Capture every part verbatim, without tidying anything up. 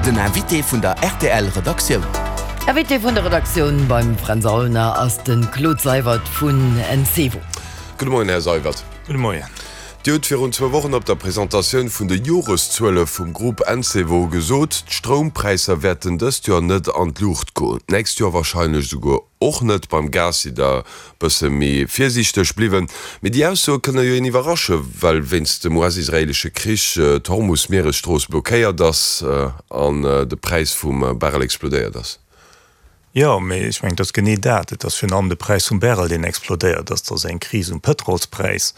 Den Invité vun der R T L Redaktioun. Invité vun der Redaktioun beim Fränz Aulner ass de Claude Seywert vun Encevo. Gudde Moien, Här Seywert. Gudde Moien. Dir hutt virun zwou Wochen op der Presentatioun vun de Joreszuele vum Grupp Encevo gesot, d'Stroumpräisser wäerten dëst Joer net an d'Luucht goen, d'nächst Joer warscheinlech esouguer och net. Beim Gas sidd Der bësse méi virsiichteg bliwwen. Mee déi Aussoe kënne jo een iwwerrasche, well wéinst dem U S-israeelesche Krich d'Hormus-Mieresstrooss blockéiert ass an de Präis vum Barrel explodéiert ass. Jo, mee ech mengen, et ass genee dat. Et ass virun allem de Präis vum Barrel, deen explodéiert ass. Et ass eng Kris um Pëtrolspräis,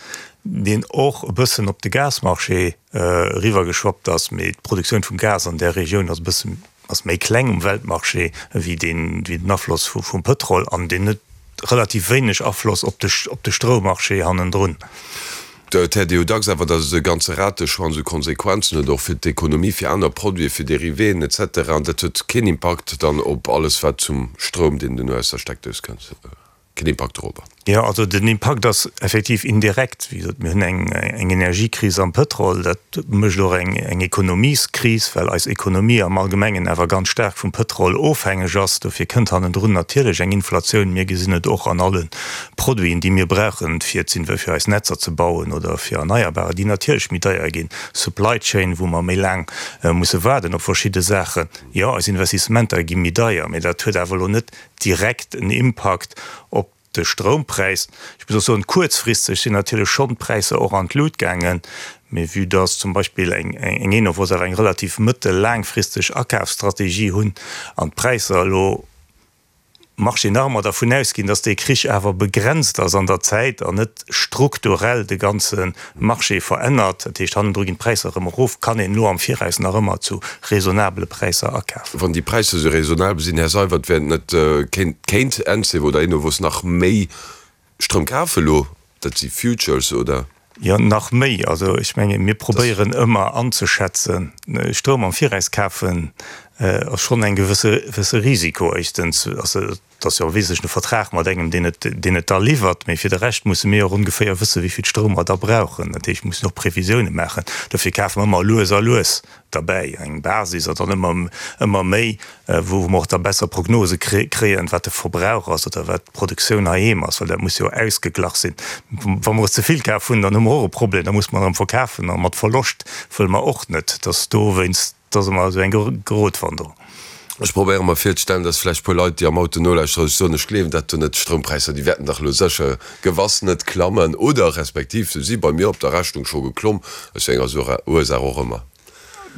deen och e bëssen op de Gasmarché eriwwergeschwappt ass. Mee d'Produktioun vum Gas an där Regioun ass e bëssen, ass méi kleng um Weltmarché wéi deen, wéi den Afloss vum Pëtrol an deen huet relativ wéineg Afloss op de, op de Stroummarché hannendrun. Et héiert ee jo dacks awer, datt e ganze Rateschwanz u Konsequenzen huet, och fir d'Ekonomie, fir aner Produiten, fir Dérivéen et cetera. An dat huet keen Impakt dann op alles, wat zum Stroum, deen duerno aus der Steckdous kënnt, keen Impakt dorobber? Jo, also den Impakt ass effektiv indirekt. Wéi gesot, mir hunn eng eng Energiekris am Pëtrol, dat mécht och eng eng Ekonomieskris, well eis Ekonomie am Allgemengen awer ganz staark vum Pëtrol ofhängeg ass. Dofir kënnt hannendrun natierlech eng Inflatioun. Mir gesinn et och an alle Produiten, déi mir brauchen, fir fir eis Netzer ze bauen oder fir Erneierbarer, déi natierlech méi deier ginn. Supply Chain, wou mer méi laang musse waarden op verschidde Saachen. Jo, eis Investissementer gi méi deier, mee dat huet awer elo net direkt en Impakt op de Stroumpräis. Ech muss och soen, kuerzfristeg sinn natierlech schonn d'Präisser och an d'Lut gaangen, mee vue dass zum Beispill eng eng Enovos awer eng relativ mëttel-laangfristeg Akafsstrategie hunn an d'Präisser elo Marché nach ëmmer dervun ausginn, dass dee Krich awer begrenzt ass an der Zäit an net strukturell de ganze Marché verännert, dat heescht hannendru ginn d'Präisser erëm erof, kann een elo am Viraus nach ëmmer zu raisonnabele Präisser akafen. Wann déi Präisser esou raisonnabel sinn, Här Seywert, wär et net, kéint, kéint Encevo oder Enovos nach méi Stroum kafen elo? Dat si Futures, oder? Jo, nach méi. Also ech menge mir probéieren ëmmer anzeschätzen, Stroum am Viraus kafen ass schonn eng gewësse gewësse Risiko. Éischtens ass et ass jo wesentlech e Vertrag mat engem, deen et deen et da liwwert. Mee fir de Rescht musse mir och ongeféier wësse wéi vill Stroum mer da brauchen. Dat heescht, mir mussen och Previsioune maachen. Dofir kafe mer ëmmer lues a lues derbäi, eng Basis an dann ëmmer ëmmer méi, wou mer och da besser Prognose kréien, wat de Verbrauch ass oder wat d'Produktioun heiheem ass, well dat muss jo ausgeglach sinn. Wa mer ze vill kaf hunn, dann hu mer och e Problem, da muss mer erëm verkafen a mat Verloscht wëlle mer och net, dass dowéinst, dass ëmmer esou eng Gratwanderung. Ech probéiere mer virzestellen, dass vläicht e puer Leit, déi am Auto nolauschteren, sech soen, ech gleewen dat do net, d'Stroumpräisser, déi wäerten dach elo sécher gewass net klammen oder respektiv se si bei mir op der Rechnung scho geklomm, aus wéi enger Ursaach och ëmmer.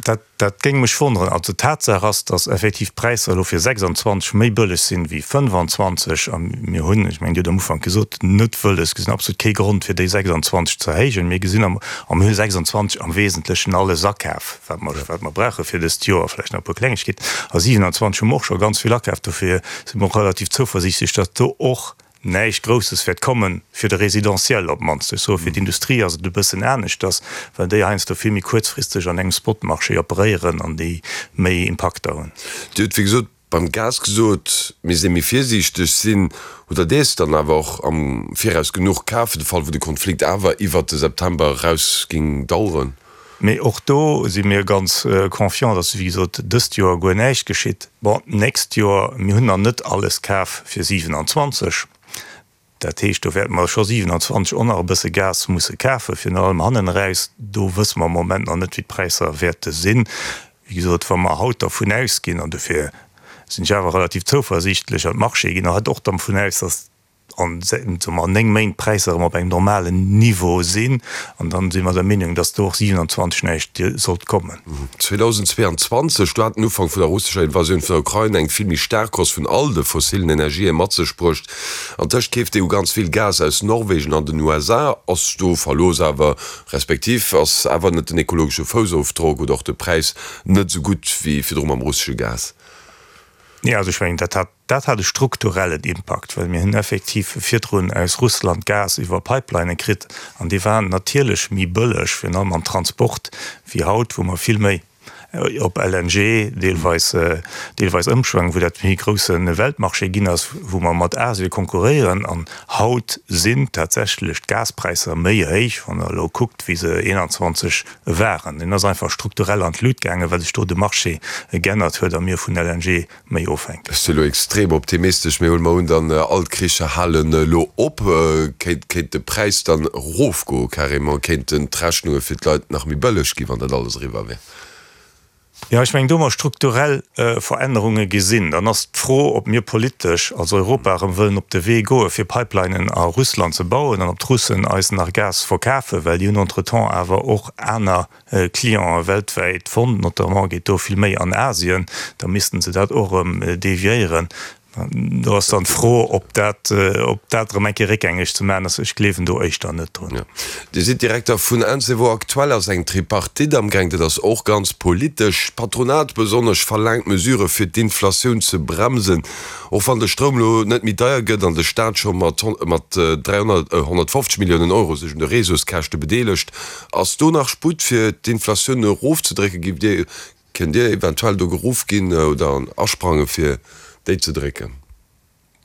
Dat, dat géing mech wonneren. Also Tatsaach ass, dass effektiv d'Präisser elo fir sechsanzwanzeg méi bëlleg sinn wéi fënnefanzwanzeg. A mir hunn, ech mengen, Dir hutt am Ufank gesot, net wëlles, gesinn absolut kee Grond fir déi sechsanzwanzeg ze erhéijen. Mir gesinn am, a mir hu sechsanzwanzeg am Wesentlechen alles akaf, wat mer, wat mer brauche fir dëst Joer, vläicht nach e puer Klengegkeeten. A siewenanzwanzeg hu mer och scho ganz vill akaf. Dofir si mer och relativ zouversiichtlech, dass do och näischt Grousses wäert kommen, fir de Résidentiel op d'mannst. Ech soe fir d'Industrie ass et e bëssen aneschters, well déi heiansdo vill méi kuerzfristeg an engem Spotmarché operéieren an déi méi Impakter hunn. Dir hutt, wéi gesot, beim Gas gesot, mir si méi virsiichteg sinn. Hutt Der dees dann awer och am Viraus genuch kaf, fir de Fall wou de Konflikt awer iwwert de September eraus géing daueren? Mee och do si mir ganz confiant, dass, wéi gesot, dëst Joer guer näischt geschitt. Bon, d'nächst Joer, mir hunn nach net alles kaf fir siewenanzwanzeg. Dat heescht, do wäerte mer scho siewenanzwanzeg och nach e bësse Gas musse kafen, virun allem hannen eraus. Do wësse mer am Moment nach net, wéi d'Präisser wäerte sinn. Wéi gesot, wa mer haut dervun ausginn, an dofir sinn ech awer relativ zouversiichtlech, an d'Marchéë ginn haut och dervun aus, dass an, soe mer, néng Méint d'Präisser erëm op engem normalen Niveau sinn, an dann si mer der Meenung, dass do och siewenanzwanzeg näischt sollt kommen. zweedausendzweeanzwanzeg, do hat den Ufank vun der russescher Invasioun vun der Ukrain eng vill méi staark Hausse vun all de fossillen Energië mat sech bruecht. Antëscht keeft d'E U ganz vill Gas aus Norwegen an den U S A. Ass do Verlooss awer, respektiv ass awer net den ekologesche Foussofdrock oder och de Präis net esou gutt wéi virdru mam russesche Gas? Nee, also ech mengen, dat hat, dat hat e strukturellen Impakt, well mir hunn effektiv virdrun aus Russland Gas iwwer Pipelinne kritt an déi waren natierlech méi bëlleg, virun allem am Transport, wéi haut, wou mer vill méi op L N G deelweis, deelweis ëmschwang, wou dat méi grousse Weltmarché ginn ass, wou mer mat Asie konkurréieren. An haut sinn tatsächlech d'Gaspräisser méi héich, wann der elo kuckt, wéi se eenanzwanzeg waren. Den ass einfach strukturell an d'Lut gaangen, well sech do de Marché geännert huet a mir vun L N G méi ofhänken. Ech si lo extrem optimistesch, mee huele mer un, dann all d'Kricher halen elo op. Kéint, kéint de Präis dann erofgoen, carrément? Kéinten d'Rechnunge fir d'Leit nach méi bëlleg ginn, wann dat alles eriwwer wär? Jo, ech mengen, do hu mer strukturell Verännerunge gesinn. Dann ass d'Fro, ob mir politesch als Europa erëm wëllen op de Wee goe fir Pipelinen a Russland ze bauen an ob d'Russen eis nach Gas verkafen, well déi hunn entretemps awer och aner Clienten weltwäit fonnt, notamment geet do vill méi an Asien, da missten se dat och erëm deviéieren. Do ass dann d'Fro, ob dat, ob dat erëm eng Kéier réckgängeg ze maachen ass. Ech gleewen do éischter net drun. Jo. Dir sidd Direkter vun Encevo. Aktuell ass eng Tripartite amgaang. Dat ass och ganz politesch. D'Patronat besonnesch verlaangt Mesurë fir d'Inflatioun ze bremsen. Och wann de Stroum elo net méi deier gëtt an de Staat scho mat mat dräihonnertfofzeg Milliounen Euro sech un de Réseauskäschte bedeelegt, ass do nach Sputt fir d'Inflatioun erofzedrécken? Giff Dir, kënnt Dir eventuell do geruff ginn oder asprange fir déi ze drécken?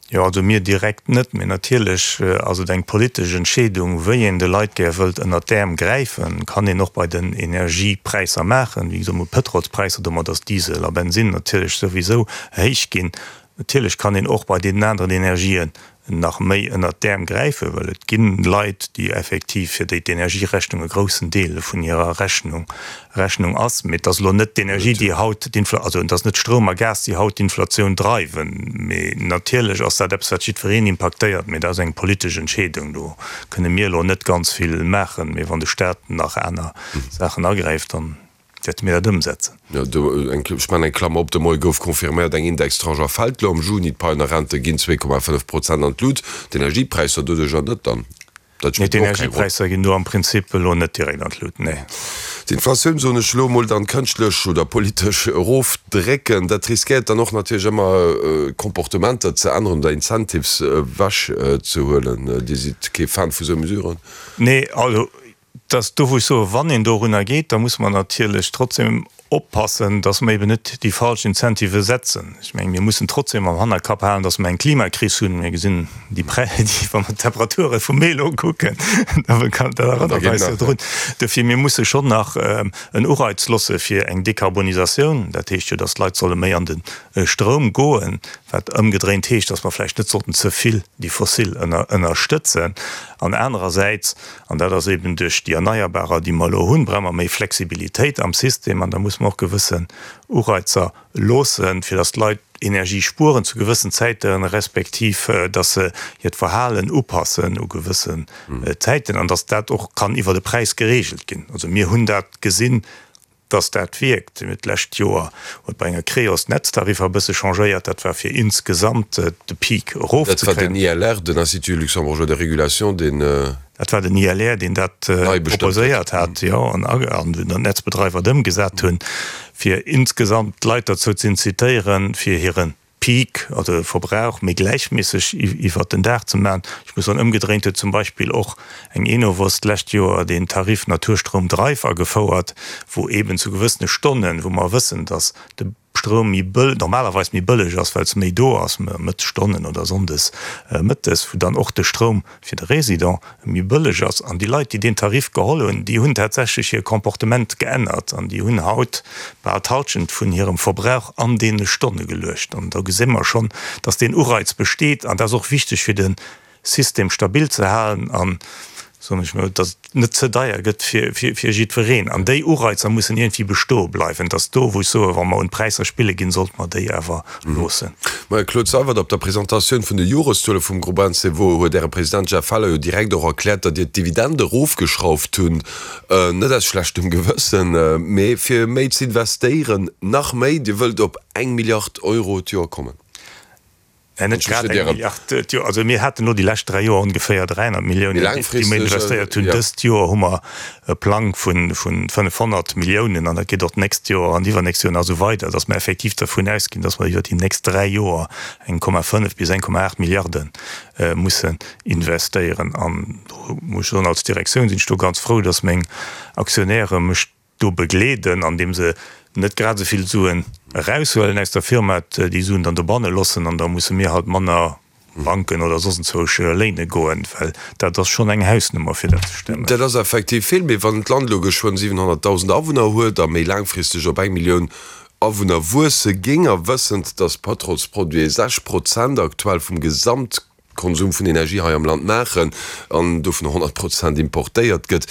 Jo, also mir direkt net, mee natierlech ass et eng politesch Entscheedung, wéi een de Leit gär wëllt ënnert d'Äerm gräifen. Kann een och bei den Energiepräisser maachen. Wéi gesot, mir hu Pëtrolspräisser, domat ass Diesel a Bensinn natierlech souwisou héich ginn. Natierlech kann een och bei deenen aneren Energien nach méi ënnert d'Äerm gräifen, well et gi Leit, déi effektiv, fir déi d'Energierechnung e groussen Deel vun hirer Rechnung Rechnung ass. Mee et ass elo net d'Energie, déi haut d'Infla-, also et ass net Stroum a Gas, déi haut d'Inflatioun dreiwen. Mee natierlech ass dat eppes, wat jiddwereen impaktéiert. Mee dat ass eng politesch Entscheedung. Do kënne mir elo net ganz vill maachen. Mee wann de Staat nach aner Saachen agräift, dann wäerte mir dat ëmsetzen. Jo, do eng, ech maachen eng Klammer op, de Moie gouf confirméiert, eng Indextranche erfält elo am Juni, d'Paien a Rente ginn zwee Komma fënnef Prozent an d'Lut, d'Energiepräisser doduercher net dann. Dat spillt och keng Roll. Nee, d'Energiepräisser ginn do am Prinzip elo net direkt an d'Lut, nee. D'Inflatioun, soen ech elo emol, dann kënschtlech oder politesch erofdrécken, dat riskéiert dann och natierlech ëmmer Comportementer ze änneren oder Incentives ewech ze huelen. Dir sidd kee Fan vu sou Mesuren? Nee, also dass do, wou ech soen, wann een dorunner geet, da muss mer natierlech trotzdem oppassen, dass mer eben net déi falsch Incentive setzen. Ech mengen, mir mussen trotzdem am Hannerkapp halen, dass mer eng Klimakris hunn. Mir gesinn déi Prä-, déi, wa mer d'Temperature vum Mee elo kucken, da kann, dat erënnert eis jo drun. Dofir, mir musse schonn nach en Ureiz loosse fir eng Dekarbonisatioun. Dat heescht jo, dass d'Leit solle méi an de Stroum goen, wat ëmgedréint heescht, dass mer vläicht net sollten ze vill déi fossil ënnerstëtzen. An anerersäits, an dat ass eben duerch déi Erneierbarer, déi mer elo hunn, brauche mer méi Flexibilitéit am System an da muss mer och gewëssen Ureizer loossen, fir datt d'Leit Energie spueren zu gewëssen Zäiten, respektiv datt se hiert Verhalen upassen u gewëssen Zäiten an datt dat och kann iwwer de Präis geregelt ginn. Also mir hunn dat gesinn, dass dat wierkt. Mir hunn d'lescht Joer huet bei enger Creos d'Netztariffer e bësse changéiert, dat war fir insgesamt de Peak Dat war erofzekréien. den I L R, den Institut luxembourgeois de régulation, deen Dat war den I L R, deen dat nei bestëmmt huet. proposéiert hat, jo, an an den Netzbedreiwer et ëmgesat hunn, fir insgesamt d'Leit derzou ze incitéieren, fir hire Peak, also Verbrauch, méi gläichméisseg iwwert den Dag ze maachen. Ech muss soen, ëmgedréint huet zum Beispill och eng Enovos d'lescht Joer deen Tarif Naturstroum Drive agefouert, wou eeben zu gewëssene Stonnen, wou mer wëssen, dass de Stroum méi bëll, normalerweis méi bëlleg ass, well se méi do ass, Mëttesstonnen oder sonndes mëttes, wou dann och de Stroum fir de Résident méi bëlleg ass. An déi Leit, déi deen Tarif geholl hunn, déi hunn tatsächlech hir Comportement geännert an déi hunn haut bal d'Halschent vun hirem Verbrauch an deene Stonne geluecht. An do gesi mer schonn, dass deen Ureiz besteet an dat ass och wichteg, fir de System stabil ze halen an, soen ech mol, dass et net ze deier gëtt fir jiddwereen. An déi Ureizer mussen iergendwéi bestoe bleiwen. Et ass do, wou ech soen, wa mer un d'Präisser spille ginn, sollte mer déi awer loossen. Maja, Claude Seywert, op der Presentatioun vun de Joreszuele vum Groupe Encevo huet Äre President Jeff Feller jo direkt och erkläert, datt Dir d'Dividende erofgeschrauft hunn, net aus schlechtem Gewëssen, mee fir méi ze investéieren, nach méi. Dir wëllt op eng Milliard Euro d'Joer kommen. Net grad eng Milliard d'Joer. Also mir haten elo déi lescht dräi Joer ongeféier dräihonnert Milliounen, déi mir investéiert hunn. Dëst Joer hu mer e Plang vu fënnefhonnert Milliounen an dat geet och d'nächst Joer an iwwernächst Joer nach esou weider, datt mer effektiv dervun ausginn, datt mer iwwer déi nächst dräi Joer eng Komma fënnef bis eng Komma aacht Milliarde mussen investéieren. An do muss ech soen, als Direktioun sinn ech do ganz frou, datt meng Aktionäre mech do begleeden, andeem se net grad esou vill Suen eraushuelen aus der Firma, déi Suen dann dobanne loossen an da musse mir halt manner Banken oder soss enzwousch léine goen, well dat ass schonn eng Hausnummer fir dat ze stemmen. Dat ass effektiv vill, mee wann d'Land elo geschwënn siwenhonnertdausend Awunner huet a méi laangfristeg op eng Millioun Awunner wuesse géing, a wëssend, datt Pëtrolsproduite sechs Prozent aktuell vum Gesamtkonsum vun Energie hei am Land maachen an dovun honnert Prozent importéiert gëtt,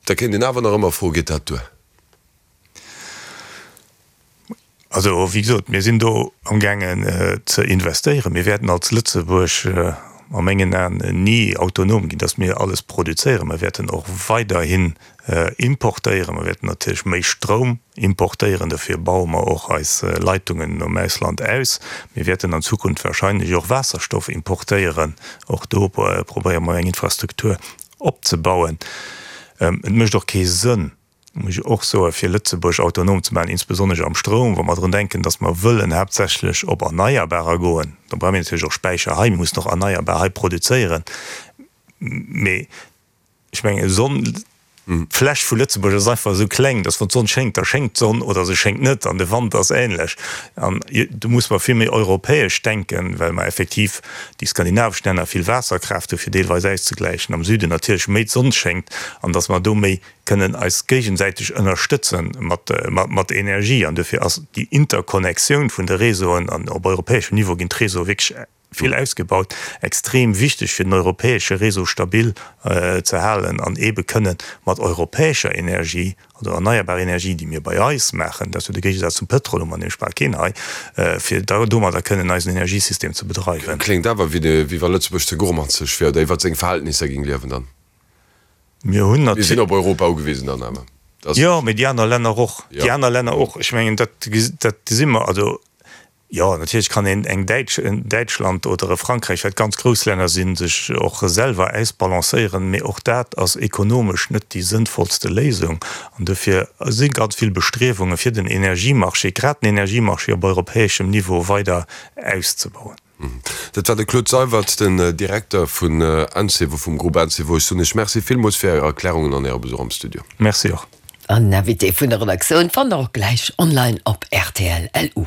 da kéint een awer nach ëmmer froen, Geet dat duer? Also, wéi gesot, mir sinn do amgaangen ze investéieren. Mir wäerten als Lëtzebuerg a mengen Aen ni autonom ginn, datt mir alles produzéieren. Mir wäerten och weiderhin importéieren. Mir wäerten natierlech méi Stroum importéieren. Dofir baue mer och eis Leitungen nom Ausland aus. Mir wäerten an Zukunft wahrscheinlech och Waasserstoff importéieren. Och do probéiere mer eng Infrastruktur opzebauen. Et mécht och kee Sënn, muss ech och soen, fir Lëtzebuerg autonom ze maachen, insbesonnesch am Stroum, wa mer drun denken, datt mer wëllen haaptsächlech op Erneierbarer goen, da brauche mir natierlech och Späicher hei, mir mussen och erneierbar hei produzéieren. Mee ech mengen, Sonn, d'Fläch vu Lëtzebuerg ass einfach esou kleng, datt wann d'Sonn schéngt, da schéngt d'Sonn oder se schéngt net an de Wand ass ähnlech. An do muss mer vill méi europäesch denken, well mer effektiv déi skandinavesch Länner vill Waasserkraaft hu fir deelweis auszegläichen, am Süden natierlech méi d'Sonn schéngt an datt mer do méi kënnen eis géigesäiteg ënnerstëtze mat Energie. An dofir ass déi Interkonnexioun vun de Réseauen, an op europäeschem Niveau ginn d'Réseaue wierklech vill ausgebaut, extrem wichteg, fir den europäesche Réseau stabil ze halen an eebe kënnen mat europäescher Energie, also erneierbar Energie, déi mir bei eis maachen, dat ass jo de Géigesaz zum Pëtrol, hu mer nämlech bal keen hei, fir domadder kënnen eisen Energiesystem ze bedreiwen. Kléngt awer, wéi wa Lëtzebuerg ze gourmanzeg wier oder iwwer seng Verhältnisser géing liewen dann. Mir hunn Mir sinn op Europa ugewisen dann awer. Dat Jo, mee déi aner Länner och. Déi aner Länner och. Ech mengen, dat, dat gesi mer. Also, jo, natierlech kann een eng Däitsch, en Däitschland oder e Frankräich, wat ganz grouss Länner sinn, sech och selwer ausbalancéieren, mee och dat ass ekonomesch net déi sënnvollste Léisung. An dofir si ganz vill Bestriewunge fir den Energiemarché, grad den Energiemarché op europäeschem Niveau weider auszebauen. Dat war de Claude Seywert, den Direkter vun Encevo, vum Groupe Encevo. Ech soen Iech Merci villmools fir Är Erklärungen an Äre Besuch am Studio. Merci och. An Invité vun der Redaktioun fannt der och gläich online op rtl. LU.